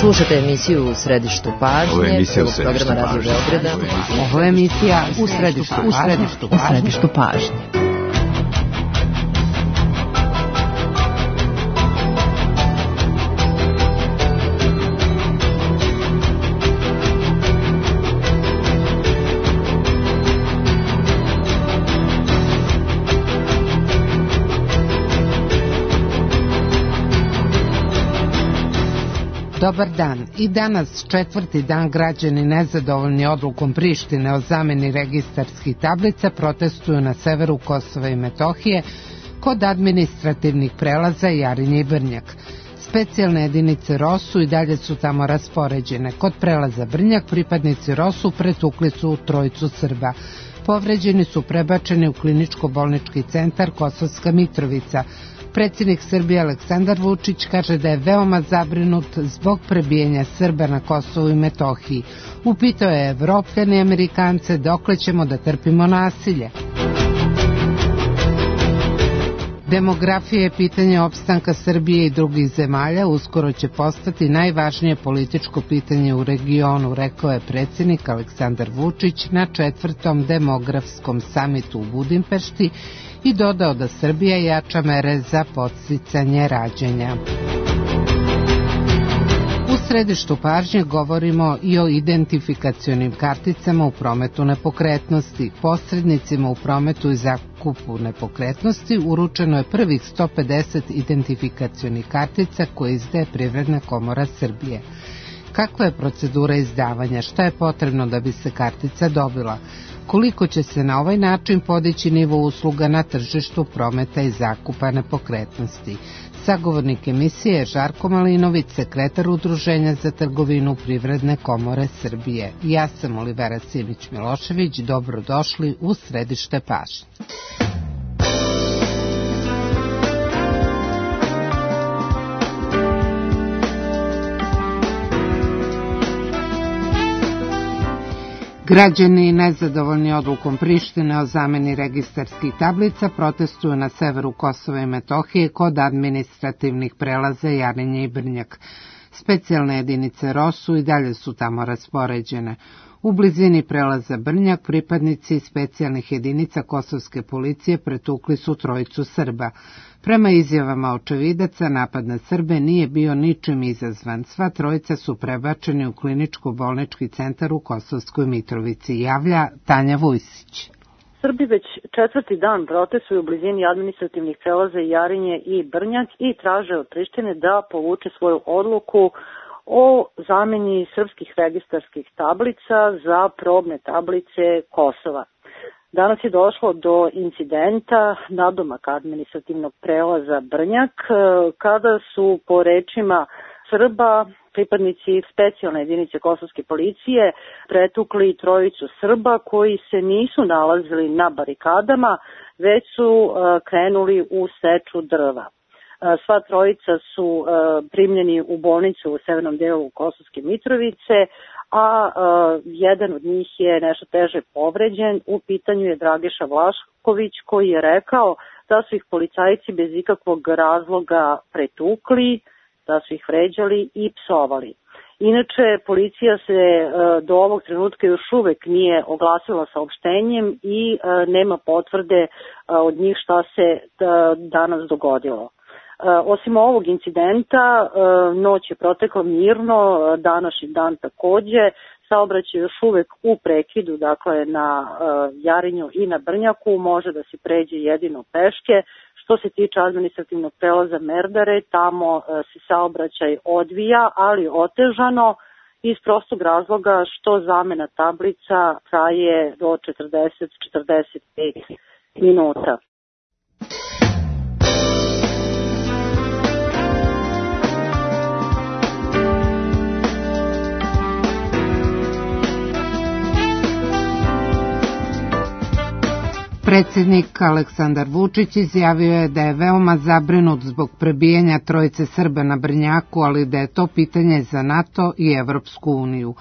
Slušate emisiju U središtu pažnje, programa Radio Beograda. Ovo je emisija U središtu pažnje. Dobar dan. I danas, četvrti dan, građani nezadovoljni odlukom Prištine o zameni registarskih tablica protestuju na severu Kosova i Metohije kod administrativnih prelaza Jarinje i Brnjak. Specijalne jedinice ROSU i dalje su tamo raspoređene. Kod prelaza Brnjak pripadnici ROSU pretukli su trojicu Srba. Povređeni su prebačeni u kliničko-bolnički centar Kosovska Mitrovica. Predsjednik Srbije Aleksandar Vučić kaže da je veoma zabrinut zbog prebijanja Srba na Kosovu i Metohiji. Upitao je Evropljane i Amerikance dokle ćemo da trpimo nasilje. Demografija je pitanje opstanka Srbije i drugih zemalja, uskoro će postati najvažnije političko pitanje u regionu, rekao je predsjednik Aleksandar Vučić na 4. demografskom samitu u Budimpešti i dodao da Srbija jača mere za podsticanje rađanja. U središtu pažnje govorimo i o identifikacionim karticama u prometu nepokretnosti. Posrednicima u prometu i zakupu nepokretnosti uručeno je prvih 150 identifikacionih kartica koje izdaje Privredna komora Srbije. Kakva je procedura izdavanja? Šta je potrebno da bi se kartica dobila? Koliko će se na ovaj način podići nivo usluga na tržištu prometa i zakupa nepokretnosti? Sagovornik emisije je Žarko Malinović, sekretar Udruženja za trgovinu Privredne komore Srbije. Ja sam Olivera Simić-Milošević, dobrodošli u središte pažnje. Građani nezadovoljni odlukom Prištine o zameni registarskih tablica protestuju na severu Kosova i Metohije kod administrativnih prelaza Jarinje i Brnjak. Specijalne jedinice ROSU i dalje su tamo raspoređene. U blizini prelaza Brnjak pripadnici specijalnih jedinica kosovske policije pretukli su trojicu Srba. Prema izjavama očevidaca, napad na Srbe nije bio ničim izazvan. Sva trojica su prebačeni u kliničko-bolnički centar u Kosovskoj Mitrovici, javlja Tanja Vujsić. Srbi već četvrti dan protestuju u blizini administrativnih prelaza Jarinje i Brnjak i traže od Prištine da povuče svoju odluku o zameni srpskih registarskih tablica za probne tablice Kosova. Danas je došlo do incidenta nadomak administrativnog prelaza Brnjak, kada su po rečima Srba pripadnici specijalne jedinice kosovske policije pretukli trojicu Srba koji se nisu nalazili na barikadama, već su krenuli u seču drva. Sva trojica su primljeni u bolnicu u severnom delu Kosovske Mitrovice, a jedan od njih je nešto teže povređen. U pitanju je Dragiša Vlašković koji je rekao da su ih policajci bez ikakvog razloga pretukli, da su ih vređali i psovali. Inače, policija se do ovog trenutka još uvek nije oglasila saopštenjem i nema potvrde od njih šta se danas dogodilo. Osim ovog incidenta, noć je protekla mirno, današnji dan takođe, saobraćaj još uvek u prekidu, dakle na Jarinju i na Brnjaku, može da se pređe jedino peške. Što se tiče administrativnog prelaza Merdare, tamo se saobraćaj odvija, ali otežano, iz prostog razloga što zamena tablica traje do 40-45 minuta. Predsjednik Aleksandar Vučić izjavio je da je veoma zabrinut zbog prebijanja trojice Srba na Brnjaku, ali da je to pitanje za NATO i Evropsku uniju.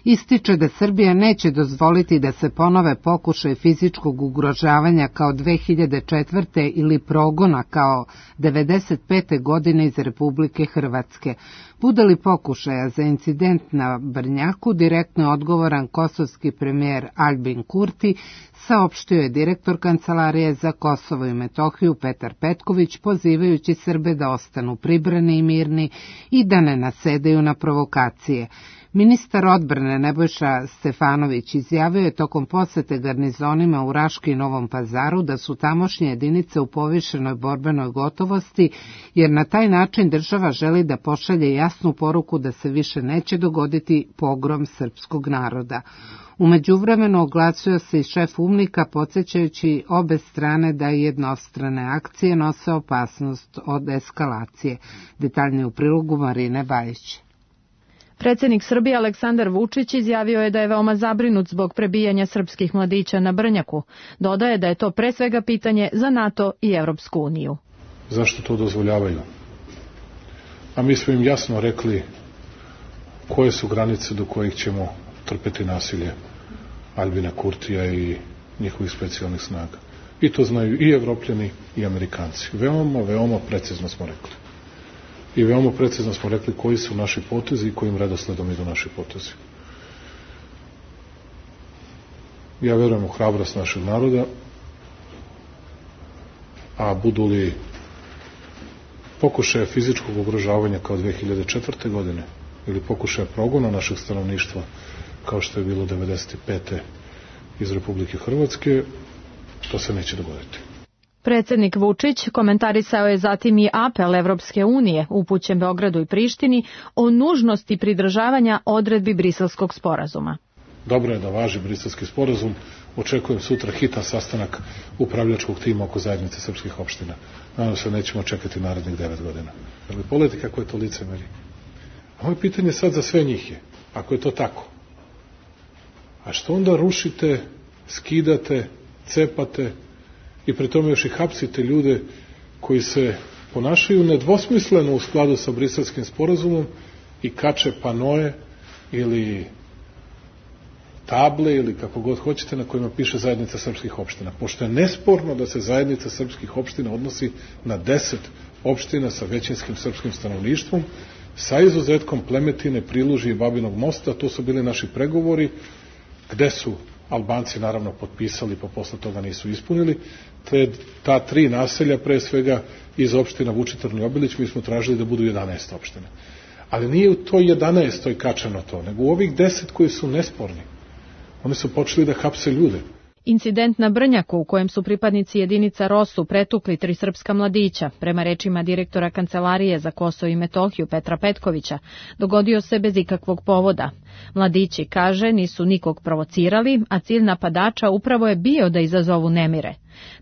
Ističe da Srbija neće dozvoliti da se ponove pokušaj fizičkog ugrožavanja kao 2004. ili progona kao 1995. godine iz Republike Hrvatske. Bude li pokušaja za incident na Brnjaku, direktno je odgovoran kosovski premijer Albin Kurti, saopštio je direktor Kancelarije za Kosovo i Metohiju Petar Petković, pozivajući Srbe da ostanu pribrani i mirni i da ne nasedaju na provokacije. Ministar odbrane Nebojša Stefanović izjavio je tokom posete garnizonima u Raški i Novom Pazaru da su tamošnje jedinice u povišenoj borbenoj gotovosti, jer na taj način država želi da pošalje jasnu poruku da se više neće dogoditi pogrom srpskog naroda. U međuvremenu oglasio se i šef UMNIK-a, podsjećajući obe strane da jednostrane akcije nose opasnost od eskalacije. Detaljnije u prilogu Marine Bajić. Predsjednik Srbije Aleksandar Vučić izjavio je da je veoma zabrinut zbog prebijanja srpskih mladića na Brnjaku. Dodaje da je to pre svega pitanje za NATO i Evropsku uniju. Zašto to dozvoljavaju? A mi smo im jasno rekli koje su granice do kojih ćemo trpeti nasilje Albina Kurtija i njihovih specijalnih snaga. I to znaju i Evropljani i Amerikanci. Veoma precizno smo rekli. I veoma precizno smo rekli koji su naši potezi i kojim redosledom idu naši potezi. Ja verujem u hrabrost našeg naroda, a budu li pokušaje fizičkog ugrožavanja kao 2004. godine ili pokušaje progona našeg stanovništva kao što je bilo 1995. iz Republike Hrvatske, to se neće dogoditi. Predsjednik Vučić komentarisao je zatim i apel Evropske unije upućen Beogradu i Prištini o nužnosti pridržavanja odredbi Briselskog sporazuma. Dobro je da važi Briselski sporazum. Očekujem sutra hitan sastanak upravljačkog tima oko zajednice srpskih opština. Nadam se nećemo čekati narednih 9 godina. Ali pogledajte kako je to licemerje. A moje pitanje sad za sve njih je, ako je to tako, a što onda rušite, skidate, cepate i pri tome još i hapsite ljude koji se ponašaju nedvosmisleno u skladu sa Briselskim sporazumom i kače panoje ili table ili kako god hoćete na kojima piše zajednica srpskih opština. Pošto je nesporno da se zajednica srpskih opština odnosi na 10 opština sa većinskim srpskim stanovništvom, sa izuzetkom Plemetine, Prilužje i Babinog Mosta, to su bili naši pregovori, gde su Albanci naravno potpisali, pa posle toga nisu ispunili. Ta 3 naselja, pre svega iz opština Vučitrn i Obilić, mi smo tražili da budu 11 opština. Ali nije u toj 11. kačeno to, nego u ovih 10 koji su nesporni. Oni su počeli da hapse ljude. Incident na Brnjaku u kojem su pripadnici jedinica ROSU pretukli 3 srpska mladića, prema rečima direktora Kancelarije za Kosovo i Metohiju Petra Petkovića, dogodio se bez ikakvog povoda. Mladići, kaže, nisu nikog provocirali, a cilj napadača upravo je bio da izazovu nemire.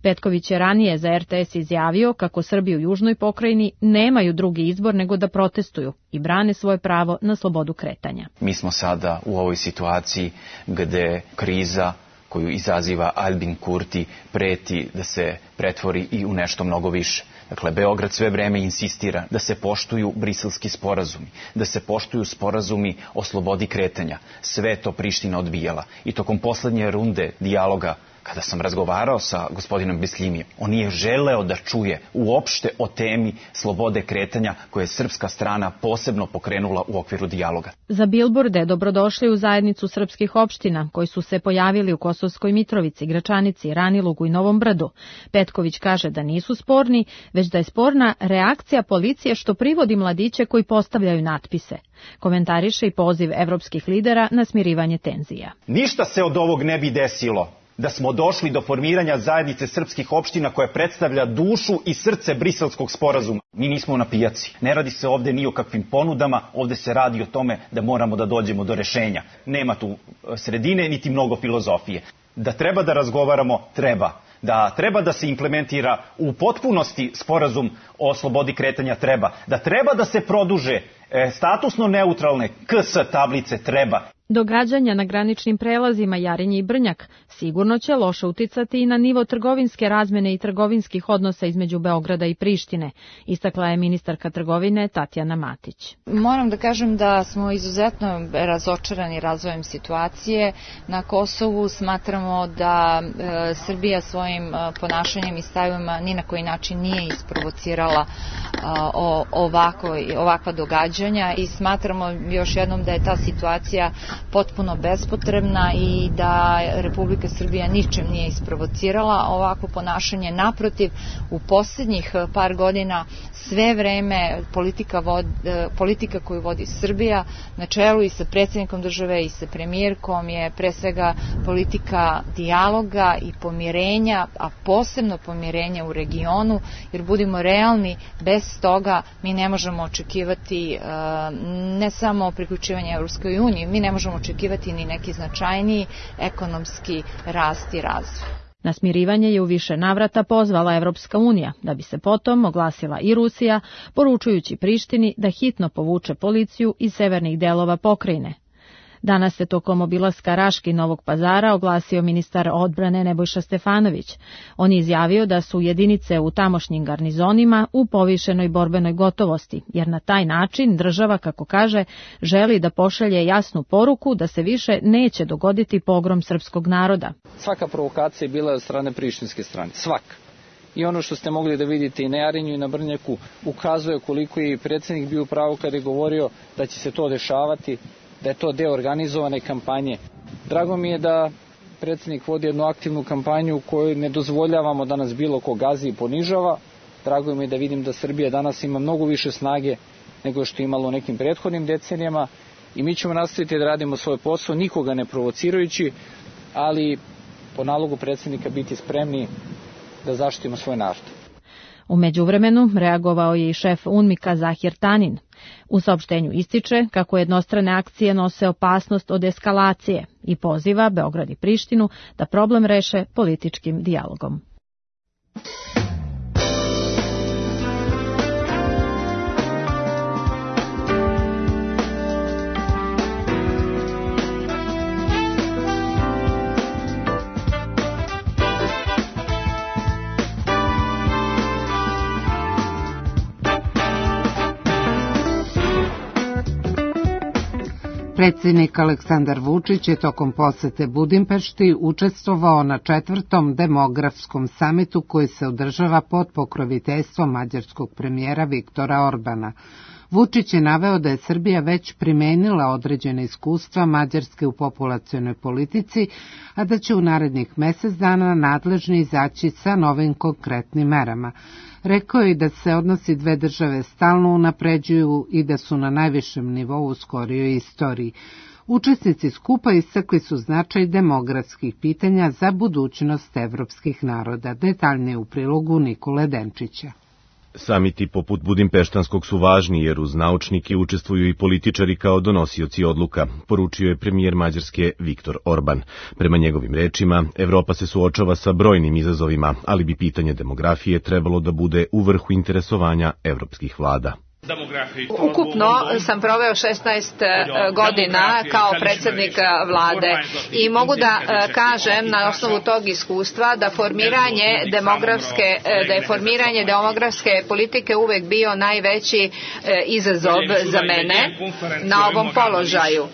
Petković je ranije za RTS izjavio kako Srbi u južnoj pokrajini nemaju drugi izbor nego da protestuju i brane svoje pravo na slobodu kretanja. Mi smo sada u ovoj situaciji gde kriza koju izaziva Albin Kurti preti da se pretvori i u nešto mnogo više. Dakle, Beograd sve vreme insistira da se poštuju briselski sporazumi, da se poštuju sporazumi o slobodi kretanja. Sve to Priština odbijala. I tokom poslednje runde dijaloga, kada sam razgovarao sa gospodinom Bislimijem, on nije želeo da čuje uopšte o temi slobode kretanja koje je srpska strana posebno pokrenula u okviru dijaloga. Za bilborde dobrodošli u zajednicu srpskih opština koji su se pojavili u Kosovskoj Mitrovici, Gračanici, Ranilugu i Novom Brdu. Petković kaže da nisu sporni, već da je sporna reakcija policije što privodi mladiće koji postavljaju natpise. Komentariše i poziv evropskih lidera na smirivanje tenzija. Ništa se od ovog ne bi desilo da smo došli do formiranja zajednice srpskih opština koja predstavlja dušu i srce Briselskog sporazuma. Mi nismo na pijaci. Ne radi se ovde ni o kakvim ponudama, ovde se radi o tome da moramo da dođemo do rešenja. Nema tu sredine niti mnogo filozofije. Da treba da razgovaramo, treba. Da treba da se implementira u potpunosti sporazum o slobodi kretanja, treba. Da treba da se produže statusno neutralne KS tablice, treba. Događanja na graničnim prelazima Jarinje i Brnjak sigurno će loše uticati i na nivo trgovinske razmene i trgovinskih odnosa između Beograda i Prištine, istakla je ministarka trgovine Tatjana Matić. Moram da kažem da smo izuzetno razočarani razvojem situacije na Kosovu. Smatramo da Srbija svojim ponašanjem i stavima ni na koji način nije isprovocirala ovakva događanja i smatramo još jednom da je ta situacija potpuno bespotrebna i da Republika Srbija ničim nije isprovocirala ovakvo ponašanje. Naprotiv, u posljednjih par godina sve vreme politika koju vodi Srbija na čelu i sa predsjednikom države i sa premijerkom je pre svega politika dijaloga i pomirenja, a posebno pomirenja u regionu, jer budimo realni, bez toga mi ne možemo očekivati ne samo priključivanje Evropskoj uniji, mi ne možemo očekivati ni neki značajniji ekonomski rast i razvoj. Na smirivanje je u više navrata pozvala Evropska unija, da bi se potom oglasila i Rusija, poručujući Prištini da hitno povuče policiju iz severnih delova pokrajine. Danas se tokom obilaska Raške i Novog Pazara oglasio ministar odbrane Nebojša Stefanović. On je izjavio da su jedinice u tamošnjim garnizonima u povišenoj borbenoj gotovosti, jer na taj način država, kako kaže, želi da pošalje jasnu poruku da se više neće dogoditi pogrom srpskog naroda. Svaka provokacija je bila od strane prištinske strane, svaka. I ono što ste mogli da vidite i na Jarinju i na Brnjaku ukazuje koliko je predsjednik bio u pravu kada je govorio da će se to dešavati, da je to deo organizovane kampanje. Drago mi je da predsjednik vodi jednu aktivnu kampanju u kojoj ne dozvoljavamo da nas bilo ko gazi i ponižava. Drago mi je da vidim da Srbija danas ima mnogo više snage nego što je imalo u nekim prethodnim decenijama i mi ćemo nastaviti da radimo svoj posao, nikoga ne provocirajući, ali po nalogu predsjednika biti spremni da zaštitimo svoj narod. U međuvremenu reagovao je i šef UNMIK-a Zahir Tanin. U saopštenju ističe kako jednostrane akcije nose opasnost od eskalacije i poziva Beograd i Prištinu da problem reše političkim dijalogom. Predsjednik Aleksandar Vučić je tokom posete Budimpešti učestvovao na 4. demografskom samitu koji se održava pod pokroviteljstvom mađarskog premijera Viktora Orbana. Vučić je naveo da je Srbija već primenila određene iskustva Mađarske u populacionoj politici, a da će u narednih mjesec dana nadležni izaći sa novim konkretnim merama. Rekao je da se odnosi dve države stalno unapređuju i da su na najvišem nivou u skorijoj istoriji. Učesnici skupa istakli su značaj demografskih pitanja za budućnost evropskih naroda. Detaljnije u prilogu Nikole Denčića. Samiti poput Budimpeštanskog su važni jer uz naučnike učestvuju i političari kao donosioci odluka, poručio je premijer Mađarske Viktor Orban. Prema njegovim rečima, Evropa se suočava sa brojnim izazovima, ali bi pitanje demografije trebalo da bude u vrhu interesovanja evropskih vlada. Ukupno sam proveo 16 godina kao predsjednik vlade i mogu da kažem na osnovu tog iskustva da je formiranje demografske politike uvek bio najveći izazov za mene na ovom položaju.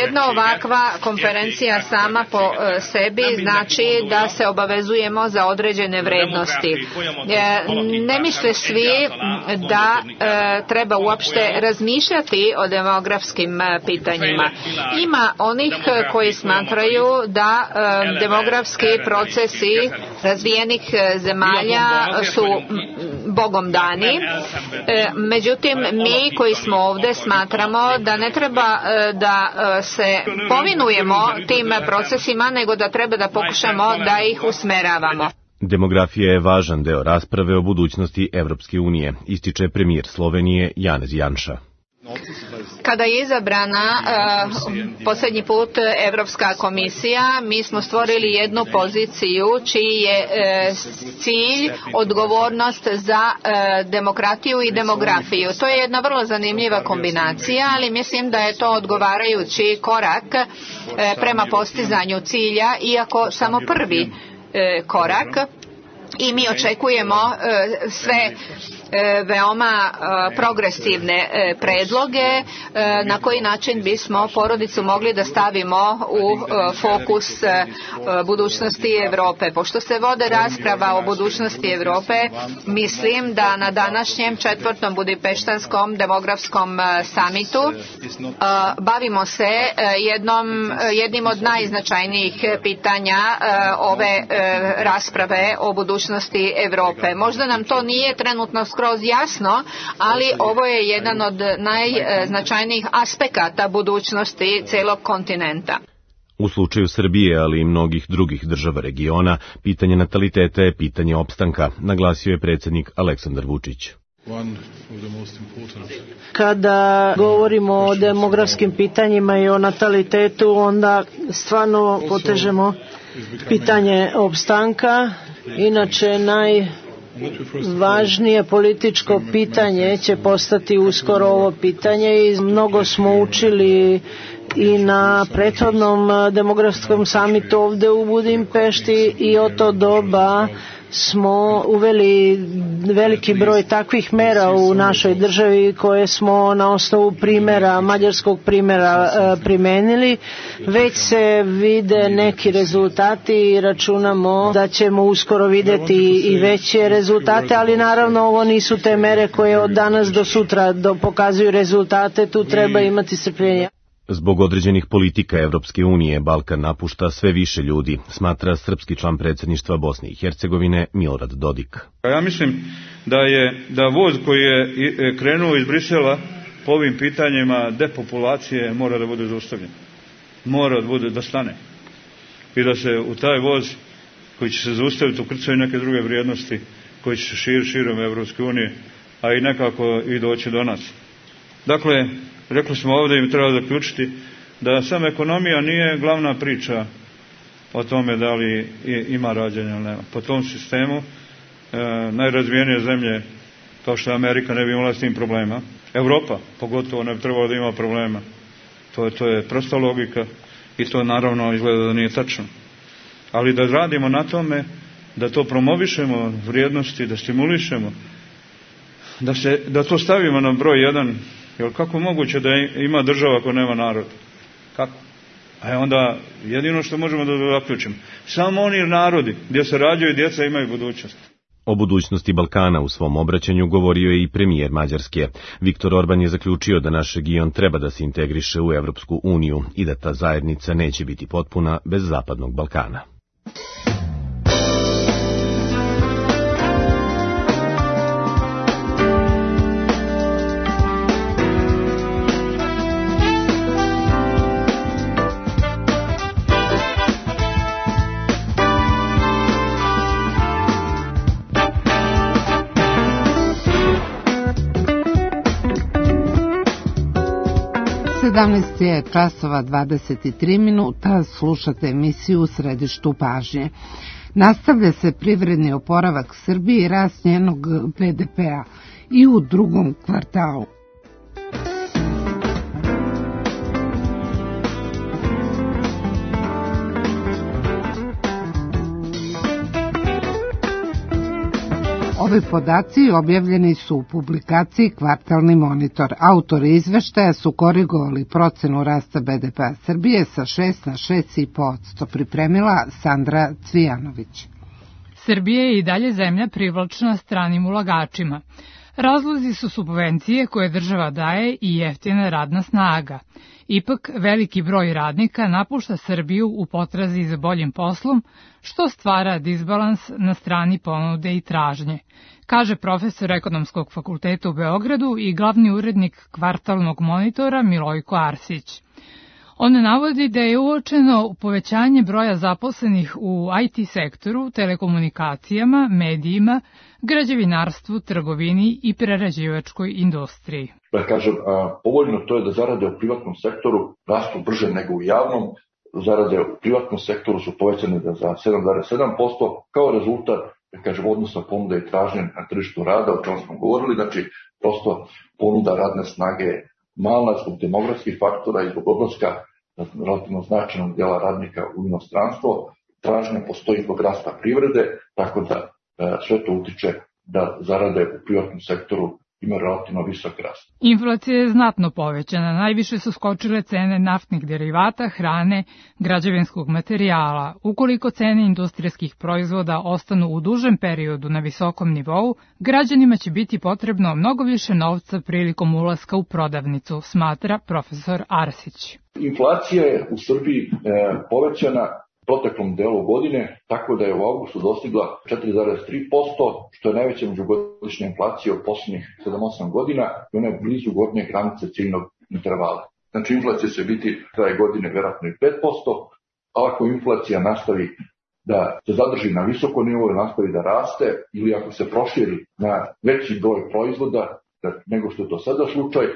Jedna ovakva konferencija sama po sebi znači da se obavezujemo za određene vrednosti. Ne misle svi da treba uopšte razmišljati o demografskim pitanjima. Ima onih koji smatraju da demografski procesi razvijenih zemalja su Bogom dani. Međutim, mi koji smo ovdje smatramo da ne treba da se povinujemo tim procesima, nego da treba da pokušamo da ih usmeravamo. Demografija je važan deo rasprave o budućnosti Evropske unije, ističe premijer Slovenije Janez Janša. Kada je izabrana posljednji put Evropska komisija, mi smo stvorili jednu poziciju čiji je cilj odgovornost za demokratiju i demografiju. To je jedna vrlo zanimljiva kombinacija, ali mislim da je to odgovarajući korak prema postizanju cilja, iako samo prvi korak, i mi očekujemo sve veoma progresivne predloge na koji način bismo porodicu mogli da stavimo u fokus budućnosti Evrope. Pošto se vode rasprava o budućnosti Evrope, mislim da na današnjem 4. Budimpeštanskom demografskom samitu bavimo se jednim od najznačajnijih pitanja ove rasprave o budućnosti Evrope. Možda nam to nije trenutno skroz jasno, ali ovo je jedan od najznačajnijih aspekata budućnosti celog kontinenta. U slučaju Srbije, ali i mnogih drugih država regiona, pitanje nataliteta je pitanje opstanka, naglasio je predsjednik Aleksandar Vučić. Kada govorimo o demografskim pitanjima i o natalitetu, onda stvarno potežemo pitanje opstanka. Inače, najvažnije političko pitanje će postati uskoro ovo pitanje i mnogo smo učili i na prethodnom demografskom samitu ovde u Budimpešti i od to doba smo uveli veliki broj takvih mera u našoj državi koje smo na osnovu mađarskog primjera primenili. Već se vide neki rezultati i računamo da ćemo uskoro videti i veće rezultate, ali naravno ovo nisu te mere koje od danas do sutra pokazuju rezultate, tu treba imati strpljenja. Zbog određenih politika Evropske unije, Balkan napušta sve više ljudi, smatra srpski član predsjedništva Bosne i Hercegovine Milorad Dodik. Ja mislim da voz koji je krenuo iz Brisela po ovim pitanjima depopulacije mora da bude zaustavljen. Mora da stane. I da se u taj voz koji će se zaustaviti ukrcaju neke druge vrijednosti koji će se širiti širom Evropske unije, a i nekako i doći do nas. Dakle, rekli smo ovdje i treba zaključiti da sama ekonomija nije glavna priča o tome da li ima rađanja ili nema. Po tom sistemu najrazvijenije zemlje kao što je Amerika ne bi imala s tim problema. Evropa pogotovo ne bi trebala da ima problema. To je prosta logika i to naravno izgleda da nije tačno. Ali da radimo na tome, da to promovišemo vrijednosti, da stimulišemo, da to stavimo na broj 1. Jer kako moguće da ima država ako nema narod? Kako? A onda jedino što možemo da zaključimo. Samo oni narodi gdje se rađaju djeca imaju budućnost. O budućnosti Balkana u svom obraćanju govorio je i premijer Mađarske. Viktor Orban je zaključio da naš region treba da se integriše u Evropsku uniju i da ta zajednica neće biti potpuna bez Zapadnog Balkana. Je časova 23 minuta, slušate emisiju U središtu pažnje. Nastavlja se privredni oporavak Srbije i rast njenog BDP-a i u drugom kvartalu. Ovi podaci objavljeni su u publikaciji Kvartalni monitor. Autori izveštaja su korigovali procenu rasta BDP-a Srbije sa 6 na 6,5%. Pripremila Sandra Cvijanović. Srbija je i dalje zemlja privlačna stranim ulagačima. Razlozi su subvencije koje država daje i jeftina radna snaga. Ipak, veliki broj radnika napušta Srbiju u potrazi za boljim poslom, što stvara disbalans na strani ponude i tražnje, kaže profesor Ekonomskog fakulteta u Beogradu i glavni urednik Kvartalnog monitora Milojko Arsić. On navodi da je uočeno povećanje broja zaposlenih u IT sektoru, telekomunikacijama, medijima, građevinarstvu, trgovini i prerađivačkoj industriji. Da kažem, povoljno to je da zarade u privatnom sektoru rastu brže nego u javnom. Zarade u privatnom sektoru su povećane za 7,7% kao rezultat, da kažem, odnosa ponuda i tražnje na tržištu rada, o čemu smo govorili. Znači, prosto ponuda radne snage malna zbog demografskih faktora i zbog odlaska relativno značajnog dela radnika u inostranstvo. Tražnja postoji zbog rasta privrede, tako da sve to utiče da zarade u privatnom sektoru ima relativno visok rast. Inflacija je znatno povećana. Najviše su skočile cene naftnih derivata, hrane, građevinskog materijala. Ukoliko cene industrijskih proizvoda ostanu u dužem periodu na visokom nivou, građanima će biti potrebno mnogo više novca prilikom ulaska u prodavnicu, smatra profesor Arsić. Inflacija je u Srbiji povećana proteklom delu godine, tako da je u avgustu dostigla 4,3%, što je najveća međugodišnja inflacija u poslednjih 7-8 godina i ona je blizu gornje granice ciljnog intervala. Znači, inflacija će biti kraje godine verovatno i 5%, a ako inflacija nastavi da se zadrži na visoko nivou i nastavi da raste, ili ako se proširi na veći broj proizvoda nego što je to sada slučaj,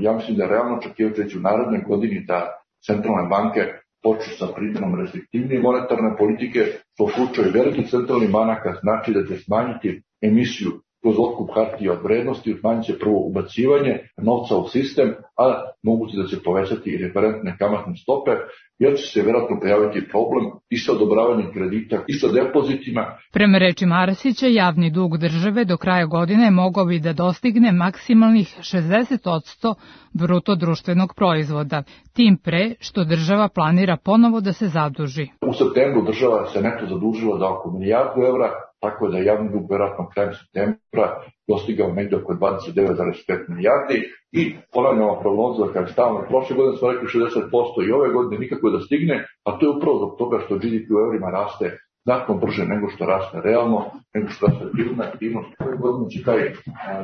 ja mislim da je realno očekivati u narednoj godini da centralne banke počnu sa primjenom restriktivnije monetarne politike, što u slučaju velikih centralnih banaka znači da će smanjiti emisiju kroz otkup hartija od vrednosti, smanjit će prvo ubacivanje novca u sistem, a moguće da će povećati i referentne kamatne stope, jer će se vjerojatno pojaviti problem i sa odobravanjem kredita i sa depozitima. Prema rečima Arsića, javni dug države do kraja godine mogao bi da dostigne maksimalnih 60% bruto društvenog proizvoda, tim pre što država planira ponovo da se zaduži. U septembru država se neto zadužila za oko milijardu evra, tako da je javni dug vjerojatno krajem septembra dostigao negdje oko 29,5 milijardi i ponavljamo prognozu da kada stavno prošle godine smo rekli 60% i ove godine nikako da stigne, a to je upravo zbog toga što GDP u evrima raste znatno brže nego što raste realno, nego što raste privredna aktivnost. Ove godine će taj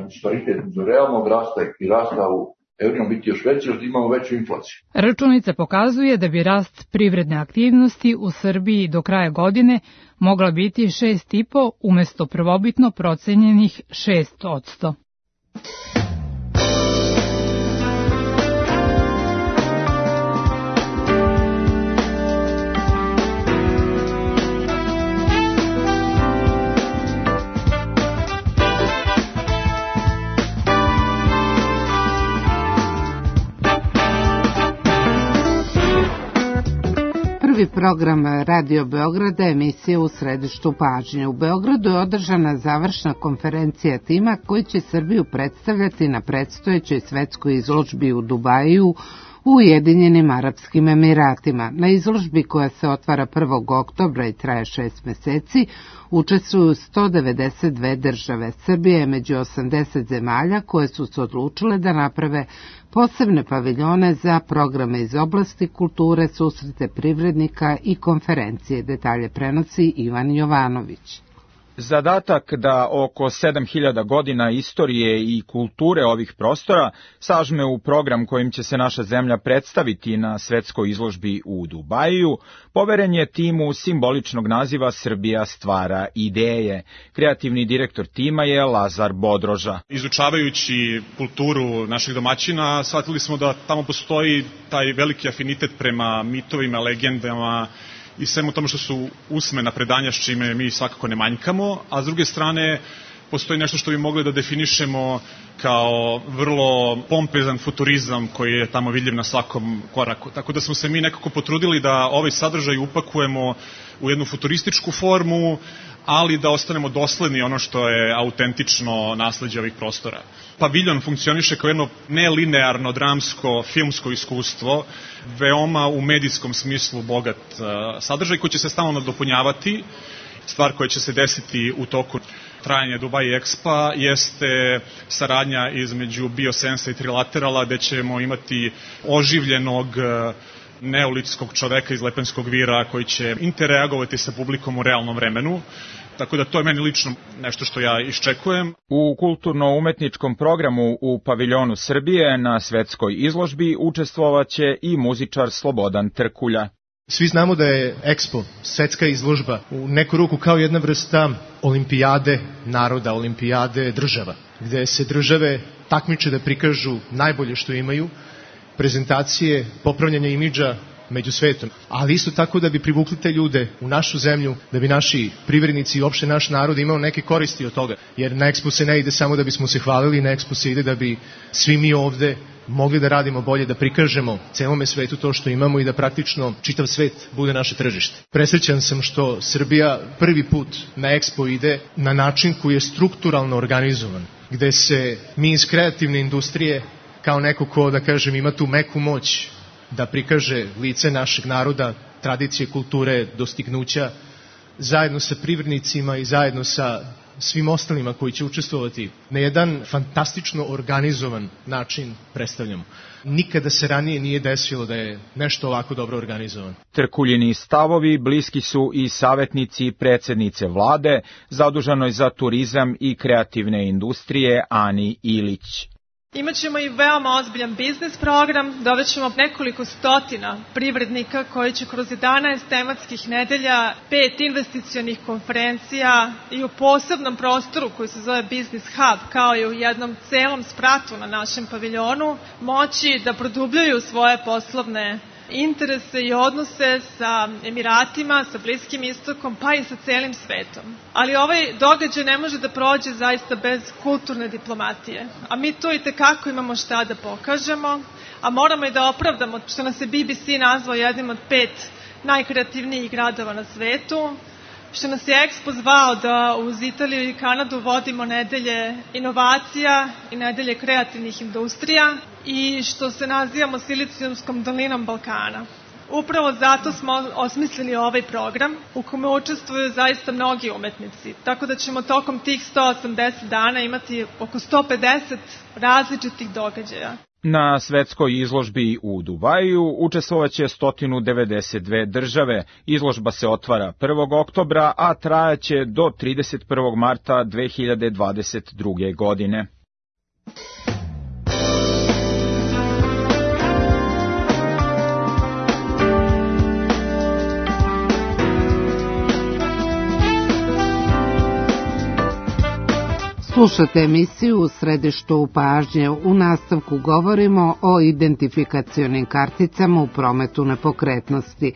disparitet među realnog rasta i rasta u evrima biti još veći, jer imamo veću inflaciju. Računica pokazuje da bi rast privredne aktivnosti u Srbiji do kraja godine mogla biti 6,5% umesto prvobitno procenjenih 6%. Prvi program Radio Beograda, emisija U središtu pažnje. U Beogradu je održana završna konferencija tima koji će Srbiju predstavljati na predstojećoj svetskoj izložbi u Dubaju u Ujedinjenim Arapskim Emiratima. Na izložbi koja se otvara 1. oktobra i traje 6 meseci učestvuju 192 države. Srbija je među 80 zemalja koje su se odlučile da naprave posebne paviljone za programe iz oblasti kulture, susrete privrednika i konferencije. Detalje prenosi Ivan Jovanović. Zadatak da oko 7000 godina istorije i kulture ovih prostora sažme u program kojim će se naša zemlja predstaviti na svetskoj izložbi u Dubaju, poveren je timu simboličnog naziva Srbija stvara ideje. Kreativni direktor tima je Lazar Bodroža. Izučavajući kulturu naših domaćina, shvatili smo da tamo postoji taj veliki afinitet prema mitovima, legendama, i svemu tomu što su usmena predanja s čime mi svakako ne manjkamo, a s druge strane postoji nešto što bi mogli da definišemo kao vrlo pompezan futurizam koji je tamo vidljiv na svakom koraku. Tako da smo se mi nekako potrudili da ovaj sadržaj upakujemo u jednu futurističku formu, ali da ostanemo dosledni ono što je autentično nasleđe ovih prostora. Paviljon funkcioniše kao jedno nelinearno dramsko filmsko iskustvo, veoma u medijskom smislu bogat sadržaj koji će se stalno nadopunjavati. Stvar koja će se desiti u toku trajanja Dubai Expa jeste saradnja između Biosensa i Trilaterala, gde ćemo imati oživljenog neolitskog čoveka iz Lepenskog vira koji će interreagovati sa publikom u realnom vremenu. Tako da to je meni lično nešto što ja iščekujem. U kulturno-umetničkom programu u paviljonu Srbije na svetskoj izložbi učestvovaće i muzičar Slobodan Trkulja. Svi znamo da je Expo, svetska izložba, u neku ruku kao jedna vrsta olimpijade naroda, olimpijade država, gde se države takmiče da prikažu najbolje što imaju, prezentacije, popravljanje imidža među svetom, ali isto tako da bi privukli te ljude u našu zemlju, da bi naši privrednici i uopšte naš narod imao neke koristi od toga. Jer na Expo se ne ide samo da bismo se hvalili, na Expo se ide da bi svi mi ovde mogli da radimo bolje, da prikažemo celome svetu to što imamo i da praktično čitav svet bude naše tržište. Presrećan sam što Srbija prvi put na Expo ide na način koji je strukturalno organizovan, gde se mi iz kreativne industrije, kao neko ko, da kažem, ima tu meku moć da prikaže lice našeg naroda, tradicije, kulture, dostignuća, zajedno sa privrednicima i zajedno sa svim ostalima koji će učestvovati na jedan fantastično organizovan način predstavljamo. Nikada se ranije nije desilo da je nešto ovako dobro organizovan. Trkuljini stavovi bliski su i savjetnici predsjednice vlade, zaduženoj za turizam i kreativne industrije Ani Ilić. Imaćemo i veoma ozbiljan biznis program, dovećemo nekoliko stotina privrednika koji će kroz 11 tematskih nedelja, 5 investicionih konferencija i u posebnom prostoru koji se zove Business Hub, kao i u jednom celom spratu na našem paviljonu, moći da produbljuju svoje poslovne interese i odnose sa Emiratima, sa Bliskim istokom, pa i sa celim svetom. Ali ovaj događaj ne može da prođe zaista bez kulturne diplomatije. A mi tu i tekako imamo šta da pokažemo, a moramo i da opravdamo što nas je BBC nazvao jednim od 5 najkreativnijih gradova na svetu, što nas je Expo zvao da uz Italiju i Kanadu vodimo nedelje inovacija i nedelje kreativnih industrija i što se nazivamo Silicijumskom dolinom Balkana. Upravo zato smo osmislili ovaj program u kome učestvuju zaista mnogi umetnici, tako da ćemo tokom tih 180 dana imati oko 150 različitih događaja. Na svetskoj izložbi u Dubaju učestvovaće 192 države. Izložba se otvara 1. oktobra, a trajaće do 31. marta 2022. godine. Slušate emisiju U središtu pažnje. U nastavku govorimo o identifikacionim karticama u prometu nepokretnosti.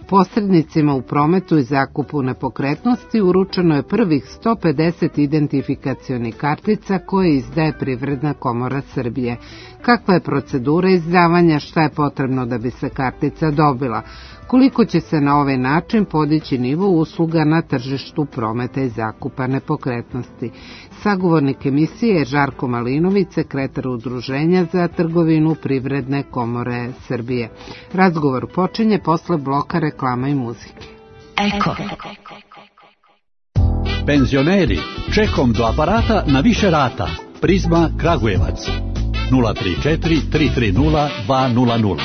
Posrednicima u prometu i zakupu nepokretnosti uručeno je prvih 150 identifikacionih kartica koje izdaje Privredna komora Srbije. Kakva je procedura izdavanja, šta je potrebno da bi se kartica dobila? Koliko će se na ovaj način podići nivo usluga na tržištu prometa i zakupa nepokretnosti? Sagovornik emisije je Žarko Malinović, sekretar Udruženja za trgovinu Privredne komore Srbije. Razgovor počinje posle bloka reklama i muzike. Eko. Penzioneri, čekom do aparata na više rata. Prizma Kragujevac. 034 330 200.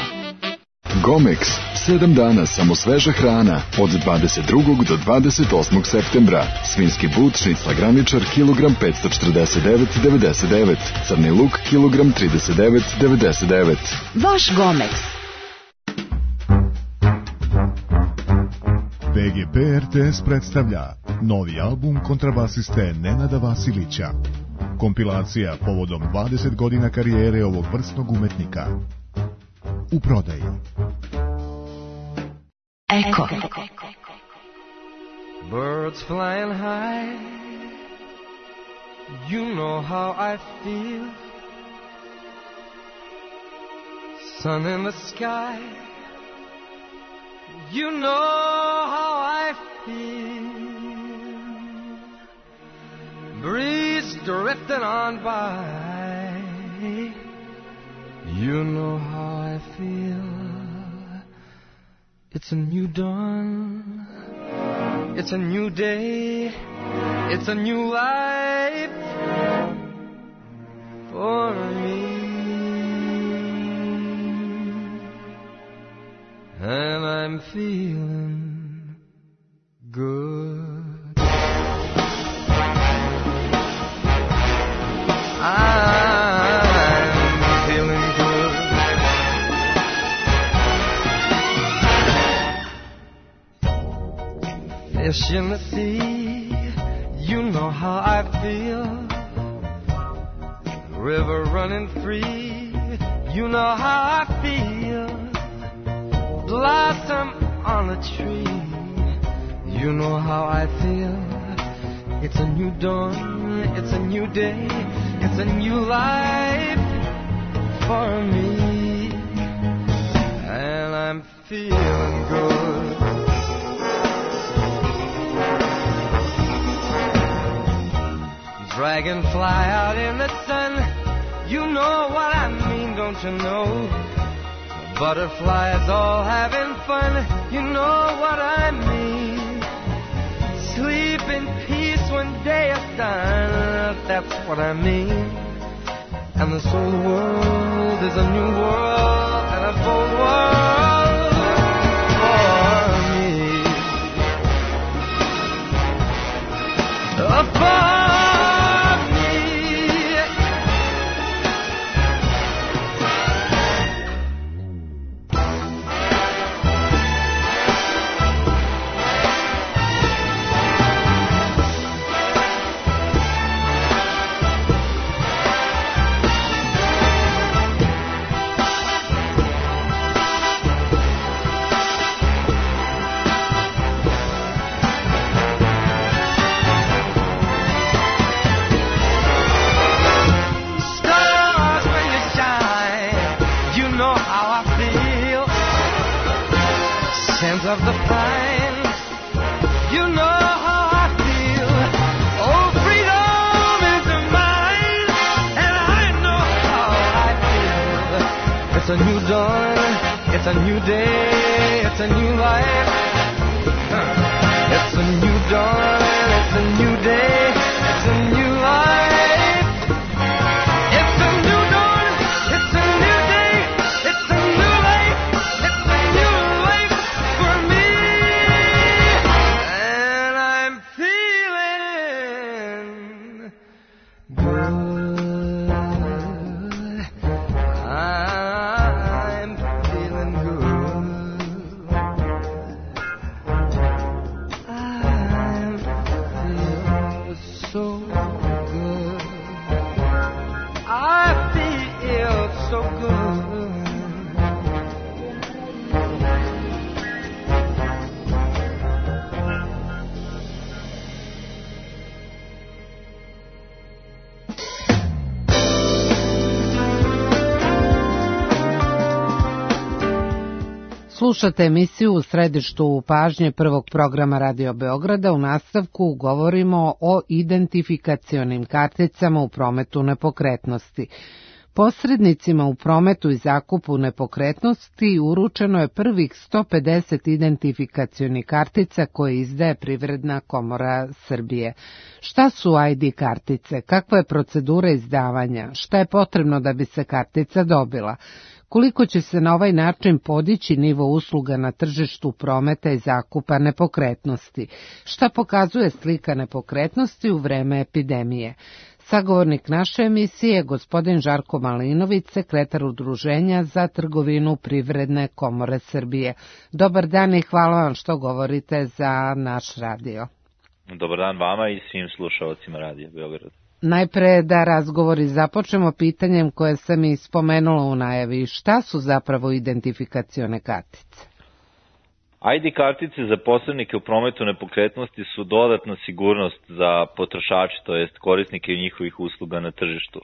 Gomex, 7 dana samo sveža hrana, od 22. do 28. septembra. Svinski but, šnicla graničar, kilogram 549,99, crni luk, kilogram 39,99. Vaš Gomex. VGP RTS predstavlja novi album kontrabasiste Nenada Vasilića. Kompilacija povodom 20 godina karijere ovog vrsnog umetnika. U prodaji. Eko. Birds flying high, you know how I feel. Sun in the sky, you know how I feel. Breeze drifting on by, you know how I feel. It's a new dawn, it's a new day, it's a new life for me. I'm feeling good. I'm feeling good. Fish in the sea, you know how I feel. River running free, you know how I feel. Blossom on a tree, you know how I feel. It's a new dawn, it's a new day, it's a new life for me, and I'm feeling good. Dragonfly out in the sun, you know what I mean, don't you know? Butterflies all having fun, you know what I mean. Sleep in peace when day is done, that's what I mean. And this whole world is a new world and a bold world for me. For of the pine, you know how I feel. Oh, freedom is mine, and I know how I feel. It's a new dawn, it's a new day, it's a new life. It's a new dawn, it's a new day, it's a new life. It's a new dawn, it's a new day, it's a new life. It's a new life for me, and I'm feeling good. I'm feeling good. I feel so good. I feel so good. Slušate emisiju U središtu pažnje prvog programa Radio Beograda. U nastavku govorimo o identifikacionim karticama u prometu nepokretnosti. Posrednicima u prometu i zakupu nepokretnosti uručeno je prvih 150 identifikacionih kartica koje izdaje Privredna komora Srbije. Šta su ID kartice? Kakva je procedura izdavanja? Šta je potrebno da bi se kartica dobila? Koliko će se na ovaj način podići nivo usluga na tržištu prometa i zakupa nepokretnosti? Šta pokazuje slika nepokretnosti u vreme epidemije? Sagovornik naše emisije je gospodin Žarko Malinović, sekretar Udruženja za trgovinu Privredne komore Srbije. Dobar dan i hvala vam što govorite za naš radio. Dobar dan vama i svim slušalcima Radija Beograd. Najpre da razgovori započnemo pitanjem koje sam i spomenula u najavi. Šta su zapravo identifikacione kartice? ID kartice za posrednike u prometu nepokretnosti su dodatna sigurnost za potrošače, to jest korisnike njihovih usluga na tržištu.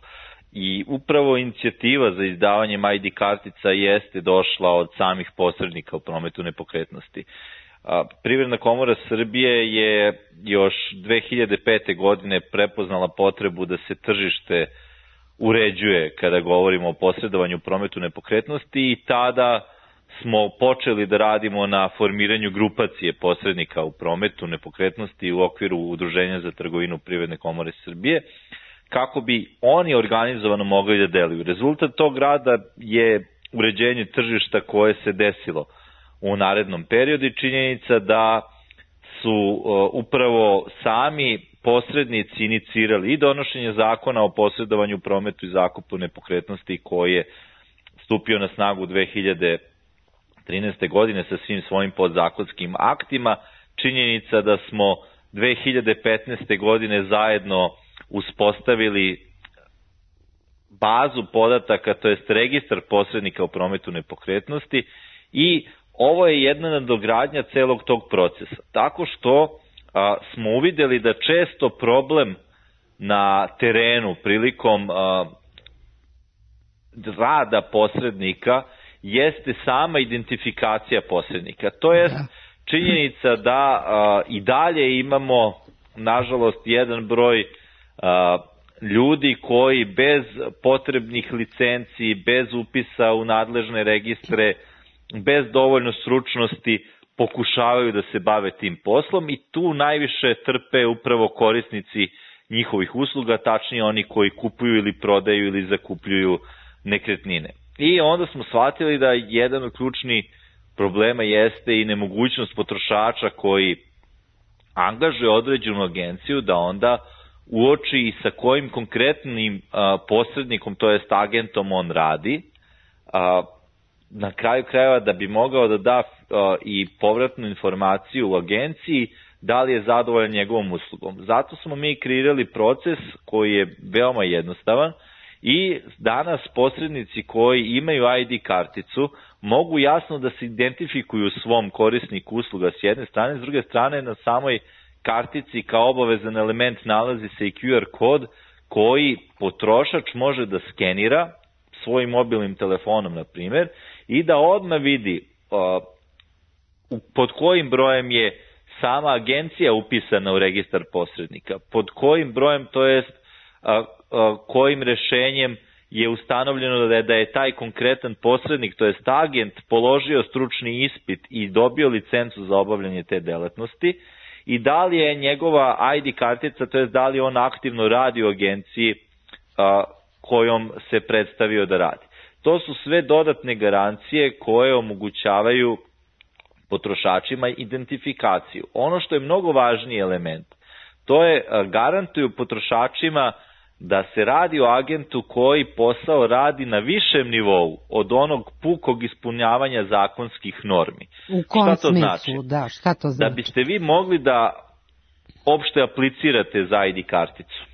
I upravo inicijativa za izdavanjem ID kartica jeste došla od samih posrednika u prometu nepokretnosti. Privredna komora Srbije je još 2005. godine prepoznala potrebu da se tržište uređuje kada govorimo o posredovanju u prometu nepokretnosti i tada smo počeli da radimo na formiranju grupacije posrednika u prometu nepokretnosti u okviru Udruženja za trgovinu Privredne komore Srbije, kako bi oni organizovano mogli da deluju. Rezultat tog rada je uređenje tržišta koje se desilo u narednom periodu i činjenica da su upravo sami posrednici inicirali i donošenje zakona o posredovanju, prometu i zakupu nepokretnosti koji je stupio na snagu 2013. godine sa svim svojim podzakonskim aktima. Činjenica da smo 2015. godine zajedno uspostavili bazu podataka, to jest registar posrednika u prometu nepokretnosti, i ovo je jedna nadogradnja celog tog procesa. Tako što smo uvideli da često problem na terenu prilikom rada posrednika jeste sama identifikacija posrednika. To je činjenica da i dalje imamo, nažalost, jedan broj ljudi koji bez potrebnih licenci, bez upisa u nadležne registre, bez dovoljno stručnosti pokušavaju da se bave tim poslom i tu najviše trpe upravo korisnici njihovih usluga, tačnije oni koji kupuju ili prodaju ili zakupljuju nekretnine. I onda smo shvatili da jedan od ključnih problema jeste i nemogućnost potrošača koji angažuje određenu agenciju da onda uoči i sa kojim konkretnim posrednikom, to jest agentom, on radi, na kraju krajeva da bi mogao da da i povratnu informaciju u agenciji da li je zadovoljan njegovom uslugom. Zato smo mi kreirali proces koji je veoma jednostavan i danas posrednici koji imaju ID karticu mogu jasno da se identifikuju svom korisniku usluga s jedne strane, s druge strane na samoj kartici kao obavezan element nalazi se i QR kod koji potrošač može da skenira svojim mobilnim telefonom, na primjer, i da odmah vidi pod kojim brojem je sama agencija upisana u registar posrednika, pod kojim brojem, to jest kojim rešenjem je ustanovljeno da je taj konkretan posrednik, to jest agent, položio stručni ispit i dobio licencu za obavljanje te delatnosti i da li je njegova ID kartica, to jest da li on aktivno radi u agenciji kojom se predstavio da radi. To su sve dodatne garancije koje omogućavaju potrošačima identifikaciju. Ono što je mnogo važniji element, to je garantuju potrošačima da se radi o agentu koji posao radi na višem nivou od onog pukog ispunjavanja zakonskih normi. U kom smislu? Da, šta to znači? Da biste vi mogli da opšte aplicirate za ID karticu,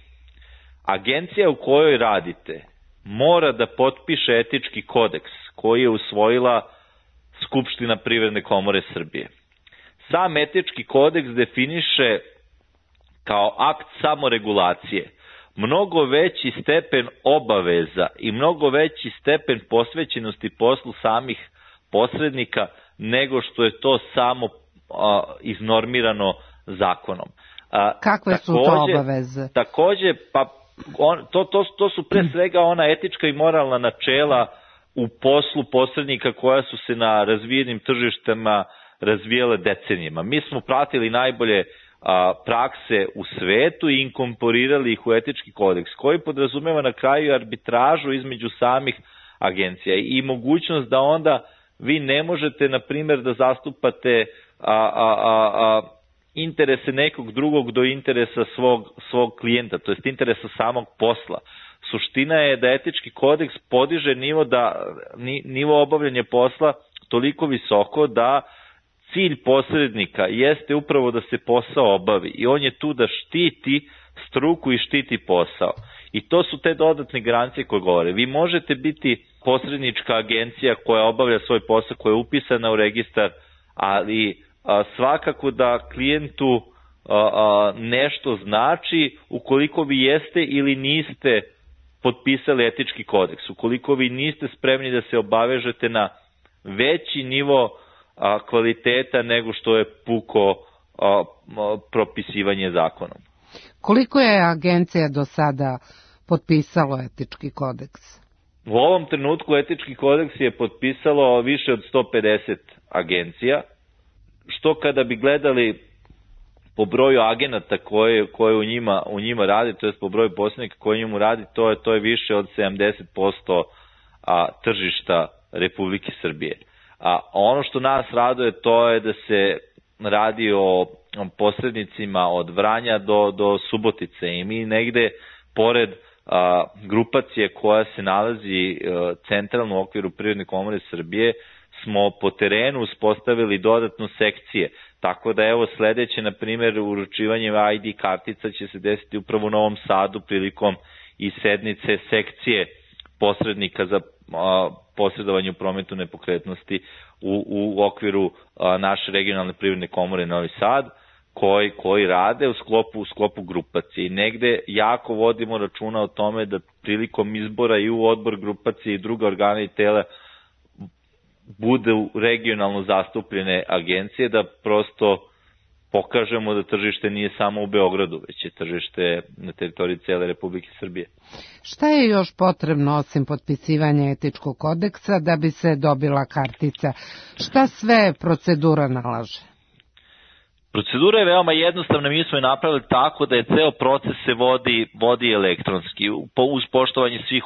agencija u kojoj radite mora da potpiše etički kodeks koji je usvojila Skupština Privredne komore Srbije. Sam etički kodeks definiše kao akt samoregulacije mnogo veći stepen obaveza i mnogo veći stepen posvećenosti poslu samih posrednika nego što je to samo iznormirano zakonom. Kakve su to obaveze? Takođe, to su pre svega ona etička i moralna načela u poslu posrednika koja su se na razvijenim tržištima razvijale decenijama. Mi smo pratili najbolje prakse u svetu i inkorporirali ih u etički kodeks koji podrazumeva na kraju arbitražu između samih agencija i mogućnost da onda vi ne možete, na primjer, da zastupate interese nekog drugog do interesa svog klijenta, to jest interesa samog posla. Suština je da etički kodeks podiže nivo obavljanja posla toliko visoko da cilj posrednika jeste upravo da se posao obavi i on je tu da štiti struku i štiti posao. I to su te dodatne garancije koje govore. Vi možete biti posrednička agencija koja obavlja svoj posao, koja je upisana u registar, ali svakako da klijentu nešto znači ukoliko vi jeste ili niste potpisali etički kodeks, ukoliko vi niste spremni da se obavežete na veći nivo kvaliteta nego što je puko propisivanje zakonom. Koliko je agencija do sada potpisalo etički kodeks? U ovom trenutku etički kodeks je potpisalo više od 150 agencija, što kada bi gledali po broju agenata koje u njima radi, to je po broju posrednika koji u njemu radi, to je više od 70% tržišta Republike Srbije. A ono što nas raduje to je da se radi o posrednicima od Vranja do Subotice i mi negde pored grupacije koja se nalazi centralno u okviru Privredne komore Srbije smo po terenu uspostavili dodatno sekcije. Tako da evo sledeće, na primjer, uručivanje ID kartica će se desiti upravo u Novom Sadu prilikom i sednice sekcije posrednika za posredovanje u prometu nepokretnosti u okviru naše regionalne privredne komore Novi Sad, koji rade u sklopu grupacije. I negde jako vodimo računa o tome da prilikom izbora i u odbor grupacije i druga organa i tela bude regionalno zastupljene agencije, da prosto pokažemo da tržište nije samo u Beogradu, već je tržište na teritoriji cele Republike Srbije. Šta je još potrebno osim potpisivanja etičkog kodeksa da bi se dobila kartica? Šta sve procedura nalaže? Procedura je veoma jednostavna, mi smo je napravili tako da je ceo proces se vodi elektronski, uz poštovanje svih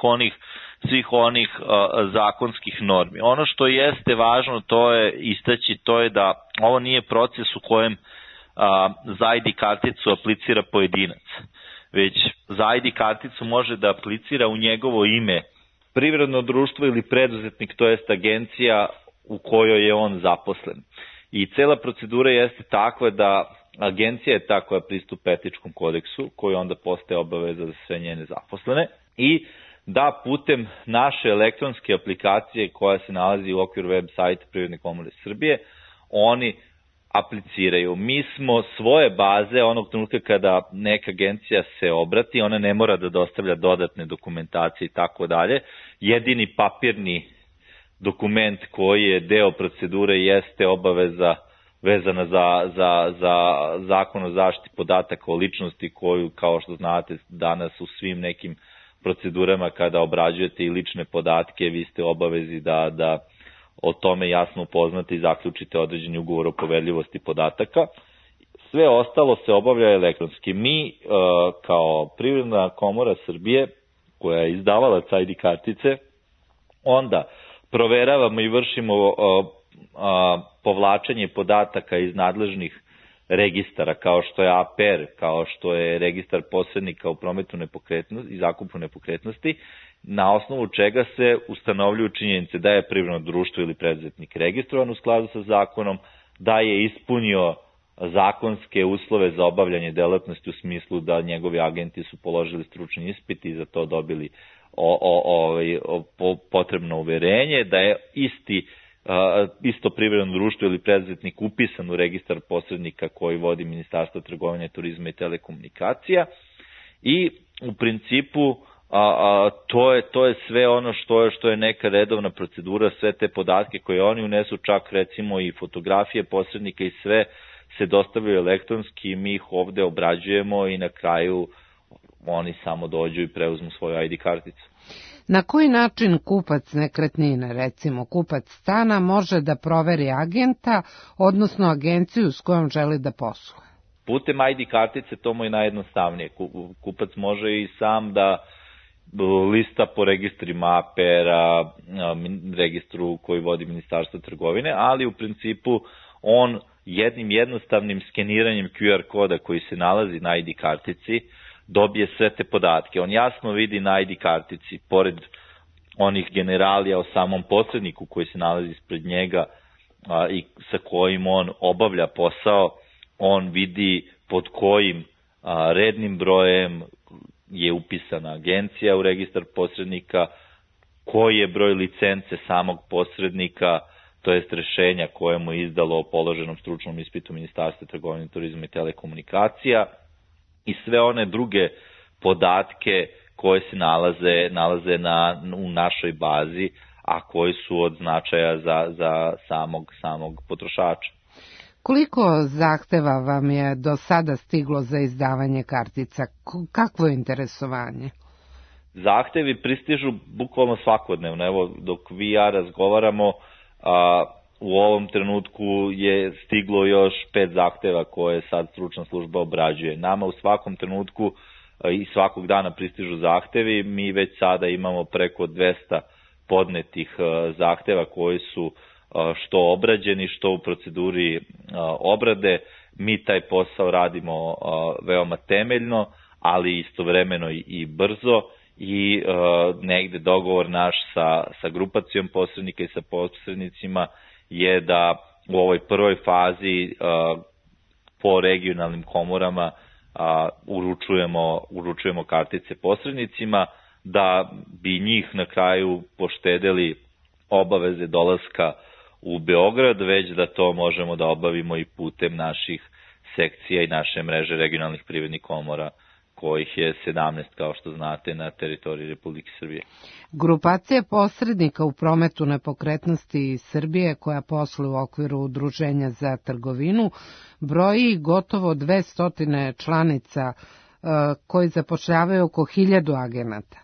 onih zakonskih normi. Ono što jeste važno to je da ovo nije proces u kojem za ID karticu aplicira pojedinac, već za ID karticu može da aplicira u njegovo ime privredno društvo ili preduzetnik, to jest agencija u kojoj je on zaposlen. I cela procedura jeste takva da agencija je ta koja pristupa etičkom kodeksu, koji onda postaje obaveza za sve njene zaposlene, i da putem naše elektronske aplikacije koja se nalazi u okviru web sajta Privredne komore Srbije, oni apliciraju. Mi smo svoje baze, onog trenutka kada neka agencija se obrati, ona ne mora da dostavlja dodatne dokumentacije i tako dalje. Jedini papirni dokument koji je deo procedure jeste obaveza vezana za zakon o zaštiti podataka o ličnosti, koju, kao što znate, danas u svim nekim procedurama kada obrađujete i lične podatke, vi ste obavezi da o tome jasno upoznate i zaključite određeni ugovor o poverljivosti podataka. Sve ostalo se obavlja elektronski. Mi kao Privredna komora Srbije, koja je izdavala ID kartice, onda proveravamo i vršimo povlačenje podataka iz nadležnih registara, kao što je APR, kao što je registar posrednika u prometu nepokretnosti i zakupu nepokretnosti, na osnovu čega se ustanovljuju činjenice da je privredno društvo ili preduzetnik registrovan u skladu sa zakonom, da je ispunio zakonske uslove za obavljanje delatnosti u smislu da njegovi agenti su položili stručni ispit i za to dobili potrebno uverenje, da je isto privredno društvo ili preduzetnik upisan u registar posrednika koji vodi Ministarstvo trgovine, turizma i telekomunikacija, i u principu to je sve ono što je neka redovna procedura, sve te podatke koje oni unesu, čak recimo i fotografije posrednika i sve se dostavljaju elektronski, mi ih ovde obrađujemo i na kraju oni samo dođu i preuzmu svoju ID karticu. Na koji način kupac nekretnine, recimo kupac stana, može da proveri agenta, odnosno agenciju s kojom želi da posluje? Putem ID kartice to mu je najjednostavnije. Kupac može i sam da lista po registrima APR-a, registru koji vodi Ministarstvo trgovine, ali u principu on jednim jednostavnim skeniranjem QR koda koji se nalazi na ID kartici dobije sve te podatke. On jasno vidi na ID kartici, pored onih generalija o samom posredniku koji se nalazi ispred njega i sa kojim on obavlja posao, on vidi pod kojim rednim brojem je upisana agencija u registar posrednika, koji je broj licence samog posrednika, to jest rešenja koje mu je izdalo o položenom stručnom ispitu Ministarstva trgovine, turizma i telekomunikacija, i sve one druge podatke koje se nalaze u našoj bazi, a koji su od značaja za samog potrošača. Koliko zahteva vam je do sada stiglo za izdavanje kartica? Kakvo je interesovanje? Zahtevi pristižu bukvalno svakodnevno. Evo, dok vi i ja razgovaramo, u ovom trenutku je stiglo još 5 zahteva koje sad stručna služba obrađuje. Nama u svakom trenutku i svakog dana pristižu zahtevi. Mi već sada imamo preko 200 podnetih zahteva koji su što obrađeni, što u proceduri obrade. Mi taj posao radimo veoma temeljno, ali istovremeno i brzo i negde dogovor naš sa grupacijom posrednika i sa posrednicima je da u ovoj prvoj fazi po regionalnim komorama uručujemo kartice posrednicima, da bi njih na kraju poštedeli obaveze dolaska u Beograd, već da to možemo da obavimo i putem naših sekcija i naše mreže regionalnih privrednih komora, kojih je 17, kao što znate, na teritoriji Republike Srbije. Grupacija posrednika u prometu nepokretnosti Srbije, koja posluje u okviru Udruženja za trgovinu, broji gotovo 200 članica koji zapošljavaju oko 1000 agenata.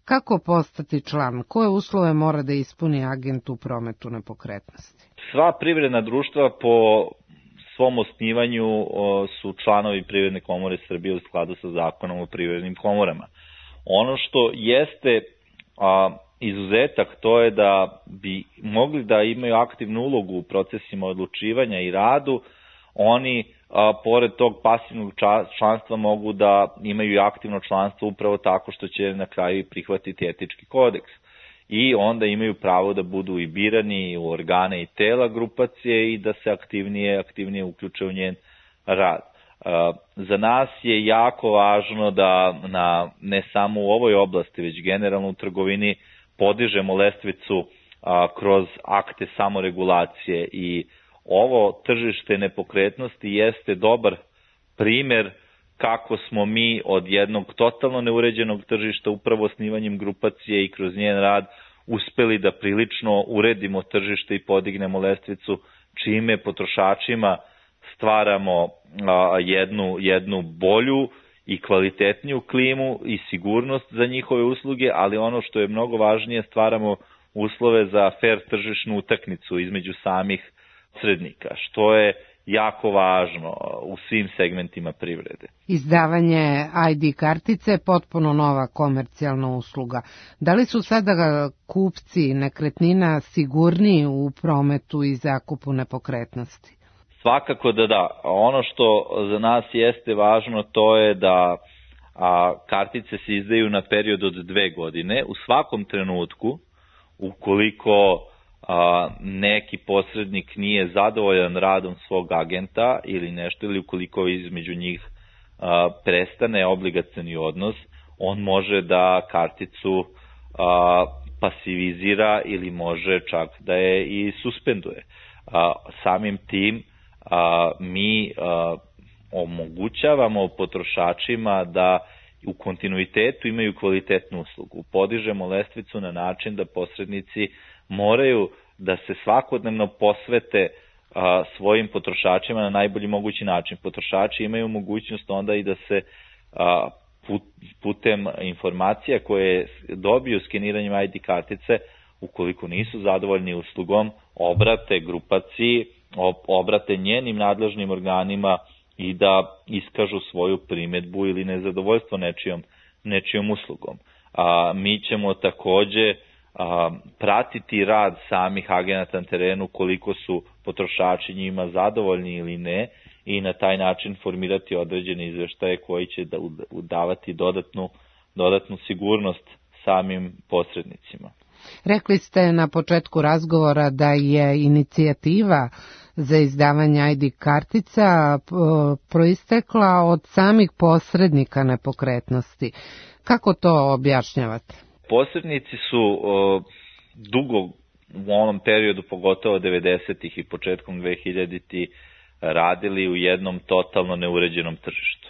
Kako postati član? Koje uslove mora da ispuni agent u prometu nepokretnosti? Sva privredna društva po svom osnivanju su članovi Privredne komore Srbije u skladu sa zakonom o privrednim komorama. Ono što jeste izuzetak, to je da bi mogli da imaju aktivnu ulogu u procesima odlučivanja i radu. Oni, pored tog pasivnog članstva, mogu da imaju aktivno članstvo upravo tako što će na kraju prihvatiti etički kodeks. I onda imaju pravo da budu i birani u organe i tela grupacije i da se aktivnije uključe u njen rad. Za nas je jako važno da ne samo u ovoj oblasti, već generalno u trgovini podižemo lestvicu kroz akte samoregulacije i ovo tržište nepokretnosti jeste dobar primer kako smo mi od jednog totalno neuređenog tržišta upravo osnivanjem grupacije i kroz njen rad uspeli da prilično uredimo tržište i podignemo lestvicu, čime potrošačima stvaramo jednu bolju i kvalitetniju klimu i sigurnost za njihove usluge, ali ono što je mnogo važnije, stvaramo uslove za fair tržišnu utakmicu između samih posrednika, što je jako važno u svim segmentima privrede. Izdavanje ID kartice je potpuno nova komercijalna usluga. Da li su sada kupci nekretnina sigurniji u prometu i zakupu nepokretnosti? Svakako da. Ono što za nas jeste važno, to je da kartice se izdaju na period od 2 godine. U svakom trenutku, ukoliko neki posrednik nije zadovoljan radom svog agenta ili nešto, ili ukoliko između njih prestane obligacioni odnos, on može da karticu pasivizira ili može čak da je i suspenduje. Samim tim mi omogućavamo potrošačima da u kontinuitetu imaju kvalitetnu uslugu. Podižemo lestvicu na način da posrednici moraju da se svakodnevno posvete svojim potrošačima na najbolji mogući način. Potrošači imaju mogućnost onda i da se putem informacija koje dobiju skeniranjem ID kartice, ukoliko nisu zadovoljni uslugom, obrate grupaciji, obrate njenim nadležnim organima i da iskažu svoju primedbu ili nezadovoljstvo nečijom uslugom. Mi ćemo takođe pratiti rad samih agenata na terenu, koliko su potrošači njima zadovoljni ili ne, i na taj način formirati određene izveštaje koji će davati dodatnu sigurnost samim posrednicima. Rekli ste na početku razgovora da je inicijativa za izdavanje ID kartica proistekla od samih posrednika nepokretnosti. Kako to objašnjavate? Posrednici su dugo u onom periodu, pogotovo 90-ih i početkom 2000-ih, radili u jednom totalno neuređenom tržištu.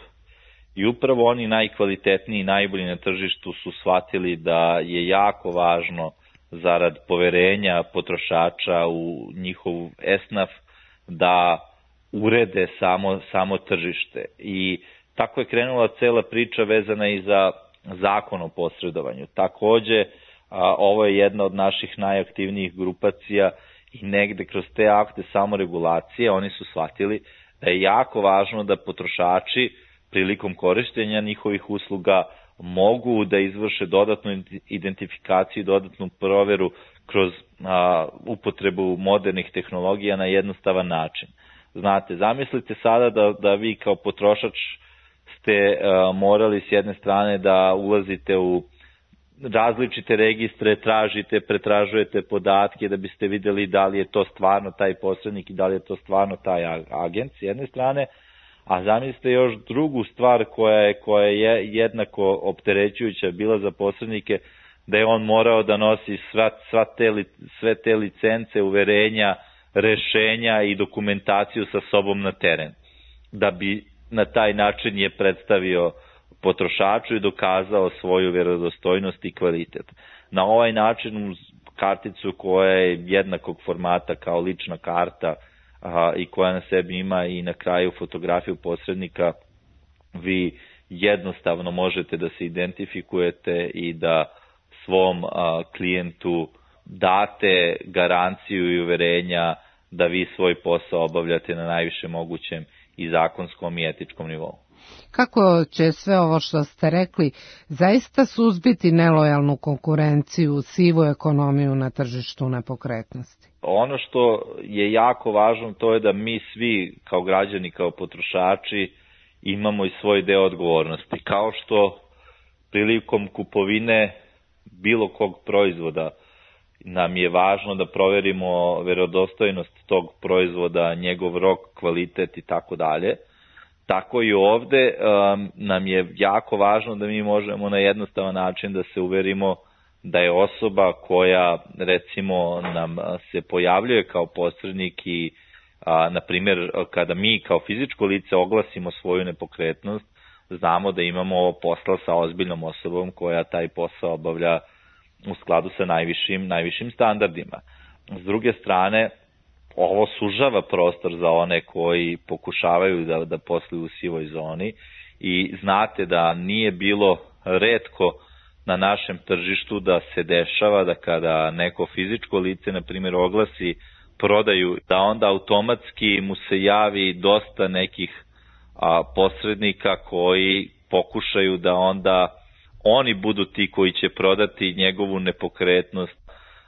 I upravo oni najkvalitetniji i najbolji na tržištu su shvatili da je jako važno zarad poverenja potrošača u njihov esnaf da urede samo tržište. I tako je krenula cela priča vezana i za zakon o posredovanju. Takođe, ovo je jedna od naših najaktivnijih grupacija i negde kroz te akte samoregulacije oni su shvatili da je jako važno da potrošači prilikom korištenja njihovih usluga mogu da izvrše dodatnu identifikaciju i dodatnu proveru kroz upotrebu modernih tehnologija na jednostavan način. Znate, zamislite sada da vi kao potrošač ste morali s jedne strane da ulazite u različite registre, pretražujete podatke da biste videli da li je to stvarno taj posrednik i da li je to stvarno taj agent s jedne strane, a zamislite još drugu stvar koja je jednako opterećujuća bila za posrednike, da je on morao da nosi sve te licence, uverenja, rešenja i dokumentaciju sa sobom na teren, da bi na taj način je predstavio potrošaču i dokazao svoju vjerodostojnost i kvalitet. Na ovaj način uz karticu koja je jednakog formata kao lična karta i koja na sebi ima i na kraju fotografiju posrednika, vi jednostavno možete da se identifikujete i da svom klijentu date garanciju i uverenja da vi svoj posao obavljate na najviše mogućem i zakonskom i etičkom nivou. Kako će sve ovo što ste rekli zaista suzbiti nelojalnu konkurenciju, sivu ekonomiju na tržištu nepokretnosti? Ono što je jako važno to je da mi svi kao građani, kao potrošači imamo i svoj deo odgovornosti. Kao što prilikom kupovine bilo kog proizvoda nam je važno da proverimo verodostojnost tog proizvoda, njegov rok, kvalitet i tako dalje. Tako i ovde nam je jako važno da mi možemo na jednostavan način da se uverimo da je osoba koja recimo nam se pojavljuje kao posrednik i na primjer kada mi kao fizičko lice oglasimo svoju nepokretnost, znamo da imamo posla sa ozbiljnom osobom koja taj posao obavlja u skladu sa najvišim standardima. S druge strane, ovo sužava prostor za one koji pokušavaju da posluju u sivoj zoni i znate da nije bilo retko na našem tržištu da se dešava da kada neko fizičko lice, na primjer, oglasi prodaju, da onda automatski mu se javi dosta nekih posrednika koji pokušaju da onda oni budu ti koji će prodati njegovu nepokretnost,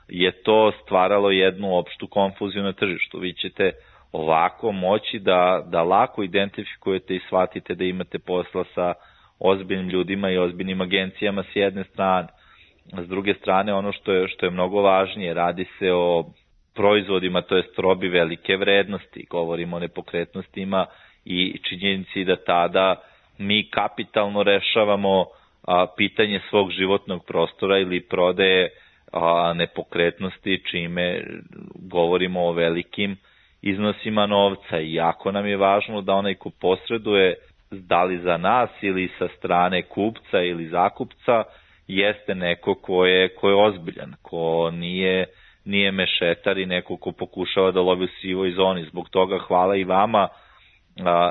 je to stvaralo jednu opštu konfuziju na tržištu. Vi ćete ovako moći da lako identifikujete i shvatite da imate posla sa ozbiljnim ljudima i ozbiljnim agencijama s jedne strane. S druge strane, ono što je mnogo važnije, radi se o proizvodima, to jest robi velike vrednosti, govorimo o nepokretnostima i činjenici da tada mi kapitalno rešavamo pitanje svog životnog prostora ili prodaje nepokretnosti, čime govorimo o velikim iznosima novca. I jako nam je važno da onaj ko posreduje, da li za nas ili sa strane kupca ili zakupca, jeste neko ko je ozbiljan, ko nije mešetar i neko ko pokušava da lovi u sivoj zoni. Zbog toga hvala i vama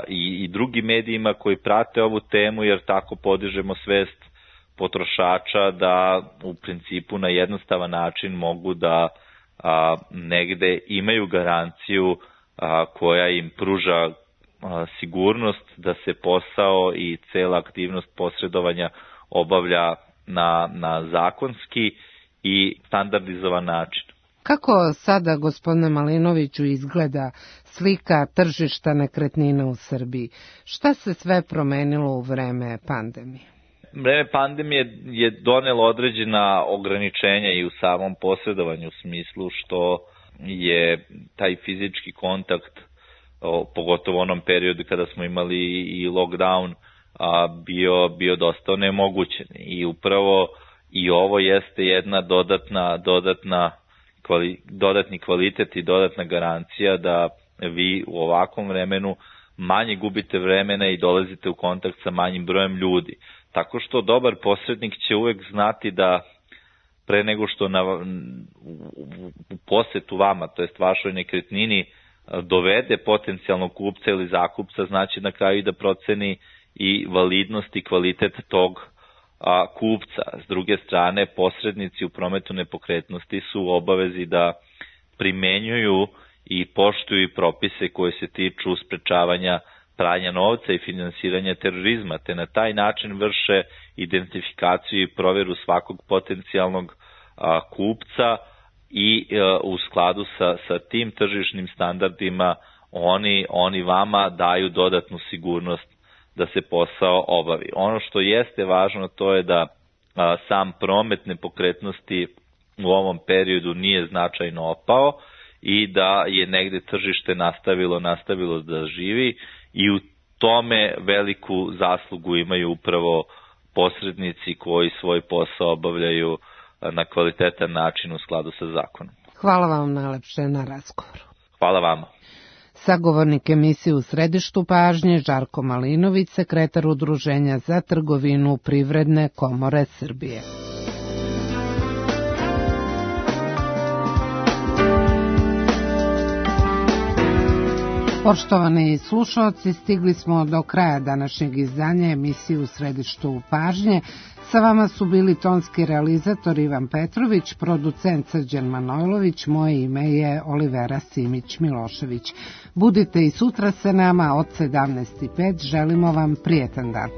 i drugim medijima koji prate ovu temu, jer tako podižemo svest potrošača da u principu na jednostavan način mogu da negde imaju garanciju koja im pruža sigurnost da se posao i cela aktivnost posredovanja obavlja na zakonski i standardizovan način. Kako sada, gospodine Malinoviću, izgleda slika tržišta nekretnina u Srbiji? Šta se sve promenilo u vreme pandemije? Vreme pandemije je donelo određena ograničenja i u samom posredovanju, u smislu što je taj fizički kontakt, pogotovo u onom periodu kada smo imali i lockdown, bio dosta onemogućen. I upravo i ovo jeste jedna dodatni kvalitet i dodatna garancija da vi u ovakvom vremenu manje gubite vremena i dolazite u kontakt sa manjim brojem ljudi. Tako što dobar posrednik će uvek znati da pre nego što u posetu vama, to jest vašoj nekretnini, dovede potencijalnog kupca ili zakupca, znači na kraju da proceni i validnost i kvalitet tog kupca. S druge strane, posrednici u prometu nepokretnosti su u obavezi da primenjuju i poštuju propise koje se tiču sprečavanja pranja novca i finansiranja terorizma, te na taj način vrše identifikaciju i proveru svakog potencijalnog kupca i u skladu sa tim tržišnim standardima oni vama daju dodatnu sigurnost da se posao obavi. Ono što jeste važno to je da sam promet nepokretnosti u ovom periodu nije značajno opao i da je negde tržište nastavilo da živi i u tome veliku zaslugu imaju upravo posrednici koji svoj posao obavljaju na kvalitetan način u skladu sa zakonom. Hvala vam najlepše na razgovoru. Hvala vama. Sagovornik emisije U središtu pažnje Žarko Malinović, sekretar Udruženja za trgovinu Privredne komore Srbije. Poštovani slušalci, stigli smo do kraja današnjeg izdanja emisije U središtu pažnje. Sa vama su bili tonski realizator Ivan Petrović, producent Srđan Manojlović, moje ime je Olivera Simić-Milošević. Budite i sutra sa nama od 17:05, želimo vam prijetan dan.